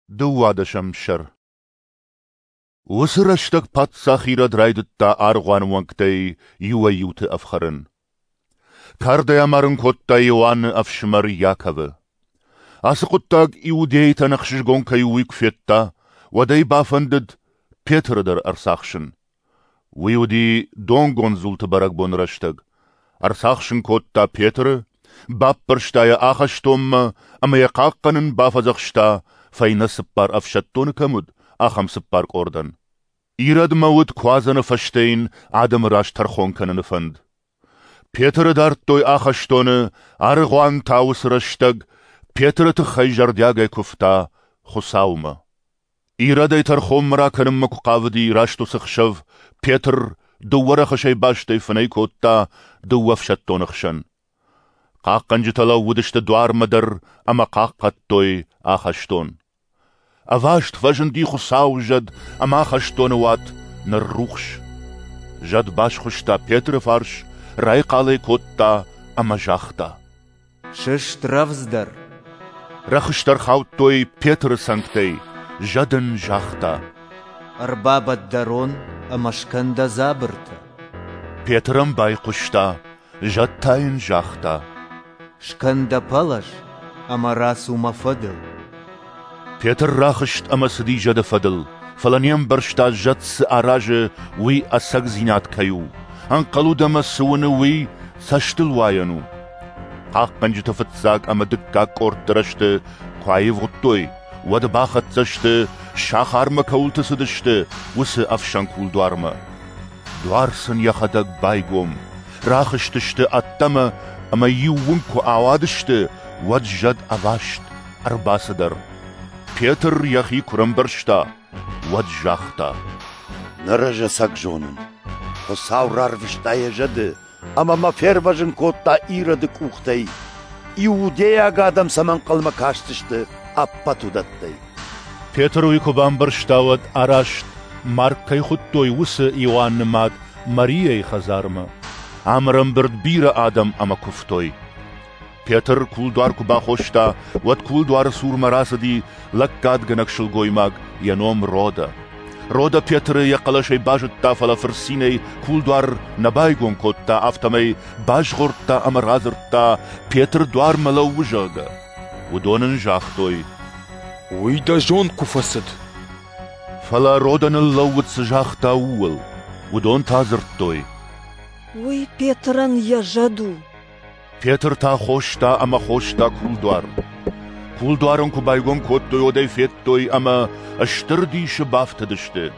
Дыууадӕсӕм сӕр. Уыцы рӕстӕг паддзах Ирод райдыдта аргъуаны уӕнгтӕй иуӕй-иуты ӕфхӕрын. Кардӕй амарын кодта Иоанны ӕфсымӕр Иаковы. Ацы хъуыддаг иудейтӕн ӕхсызгон кӕй у, уый куы федта, уӕд ӕй бафӕндыд Петры дӕр ӕрцахсын. Уый уыди донгонд дзулты бӕрӕгбоны рӕстӕг. Ӕрцахсын кодта Петры, баппӕрста йӕ ахӕстонмӕ ӕмӕ йӕ хъахъхъӕнын бафӕдзӕхста, фӕйнӕ цыппар ӕфсӕддоны кӕм уыд, ахӕм цыппар къордӕн. Иродмӕ уыд Куадзӕны фӕстӕ йын адӕмы раз тӕрхон кӕныны фӕнд. Петры дардтой ахӕстоны, аргъуан та уыцы рӕстӕг Петры тыххӕй зӕрдиагӕй куывта Хуыцаумӕ. Ирод ӕй тӕрхонмӕ ракӕнынмӕ куы хъавыди, раст уыцы хсӕв Петр дыууӕ рӕхысӕй бастӕй фынӕй кодта дыууӕ ӕфсӕддоны хсӕн. Хъахъхъӕнджытӕ лӕууыдысты дуармӕ дӕр ӕмӕ хъахъхъӕдтой ахӕстон. Ӕваст фӕзынди Хуыцауы зӕд ӕмӕ ахӕстоны уат ныррухс. Зӕд басхуыста Петры фарс, райхъал ӕй кодта ӕмӕ загъта: Сыст рӕвдздӕр! Рӕхыстӕ рхаудтой Петры цӕнгтӕй, зӕд ын загъта: Ӕрбабӕтт дӕ рон ӕмӕ скӕн дӕ дзабыртӕ. Петр ӕм байхъуыста, зӕд та йын загъта: Скӕн дӕ пӕлӕз ӕмӕ рацу мӕ фӕдыл. Петр рахызт ӕмӕ цыди зӕды фӕдыл, фӕлӕ не мбӕрста, зӕд цы аразы, уый ӕцӕгдзинад кӕй у. Ӕнхъӕл уыд ӕмӕ цы уыны, уый цӕстылуайӕн у. Хъахъхъӕнджыты фыццаг ӕмӕ дыккаг къордты рӕзты куы аивгъуыдтой, уӕд бахӕццӕ сты, сахармӕ кӕуылты цыдысты, уыцы ӕфсӕн кулдуармӕ. Дуар сын йӕхӕдӕг байгом, рахызтысты ӕддӕмӕ ӕмӕ иу уынг куы ауадысты, уӕд зӕд ӕваст ӕрбацыдӕр. Петр йӕхи куы рӕмбӕрста, уӕд загъта: Ныр ӕз ӕцӕг зонын, Хуыцау рарвыста йӕ зӕды ӕмӕ мӕ фервӕзын кодта Ироды къухтӕй, иудейаг адӕм цӕмӕ ӕнхъӕлмӕ кастысты, ӕппӕт уыдӕттӕй. Петр уый куы бамбӕрста, уӕд араст, Марк кӕй хуыдтой, уыцы Иоанны мад Мариайы хӕдзармӕ. Ам ӕрӕмбырд бирӕ адӕм ӕмӕ куывтой. Петр кулдуар куы бахоста, уӕд кулдуары цурмӕ рацыди лӕггадгӕнӕг сылгоймаг, йӕ ном Рода. Рода Петры йӕ хъӕлӕсӕй базыдта, фӕлӕ фырцинӕй кулдуар нӕ байгом кодта, афтӕмӕй базгъордта ӕмӕ радзырдта, Петр дуармӕ лӕууы, зӕгъгӕ. Уыдон ын загътой: Уый дӕ зонд куы фӕцыд. Фӕлӕ Рода ныллӕууыд, цы загъта, ууыл. Уыдон та дзырдтой: Уый Петрӕн йӕ зӕд у. Петр та хоста ӕмӕ хоста кулдуар. Кулдуар ын куы байгом кодтой, уӕд ӕй федтой ӕмӕ стыр дисы бафтыдысты.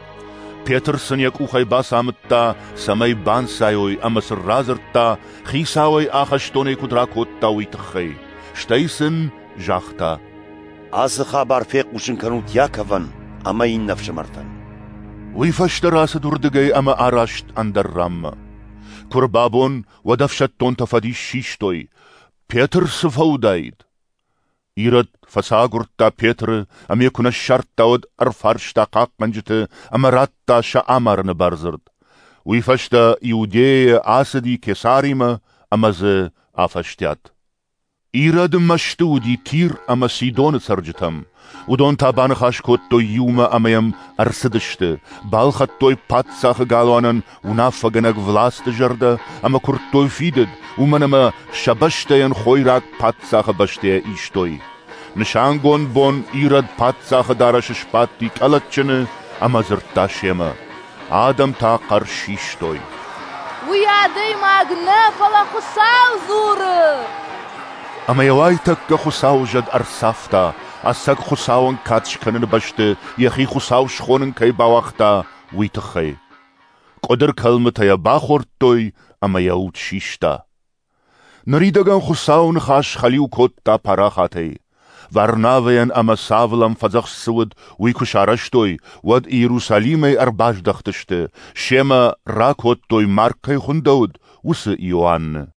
Петр сын йӕ къухӕй бацамыдта, цӕмӕй банцайой ӕмӕ сын радзырдта, Хицауӕй ахӕстонӕй куыд ракодта, уый тыххӕй. Стӕй сын загъта: Ацы хабар фехъусын кӕнут Иаковӕн ӕмӕ иннӕ ӕфсымӕртӕн. Уый фӕстӕ рацыд уырдыгӕй ӕмӕ араст ӕндӕр ранмӕ. Куы рбабон, уӕд ӕфсӕддонтӕ фӕдис систой: Петр цы фӕуыдаид? Ирод фӕцагуырдта Петры ӕмӕ йӕ куы нӕ ссардта, уӕд ӕрфарста хъахъхъӕнджыты ӕмӕ радта сӕ амарыны бардзырд. Уый фӕстӕ Иудейӕйӕ ацыди Кесаримӕ ӕмӕ дзы афӕстиат. Ирод мӕсты уыди Тир ӕмӕ Сидоны цӕрджытӕм. Уыдон та баныхас кодтой иумӕ ӕмӕ йӕм ӕрцыдысты, балхӕдтой паддзахы галуанӕн уынаффӕгӕнӕг власты зӕрдӕ ӕмӕ куырдтой фидыд, уымӕн ӕмӕ сӕ бӕстӕйӕн хойраг паддзахы бӕстӕйӕ истой. Нысангонд бон Ирод паддзахы дарӕсы сбадти къӕлӕтджыны ӕмӕ дзырдта семӕ. Адӕм та хъӕр систой: Уый адӕймаг нӕ, фӕлӕ Хуыцау дзуры! Ӕмӕ йӕ уайтӕккӕ Хуыцауы зӕд ӕрцавта, ӕцӕг Хуыцауӕн кад скӕныны бӕсты йӕхи Хуыцау схонын кӕй бауагъта, уый тыххӕй. Къуыдыр кӕлмытӕ йӕ бахордтой ӕмӕ йӕ уд систа. Ныридӕгӕн Хуыцауы ныхас хӕлиу кодта парахатӕй. Варнавӕйӕн ӕмӕ Савлӕн фӕдзӕхст цы уыд, уый куы сарӕзтой, уӕд Иерусалимӕй ӕрбаздӕхтысты, семӕ ракодтой, Марк кӕй хуындӕуыд, уыцы Иоанны.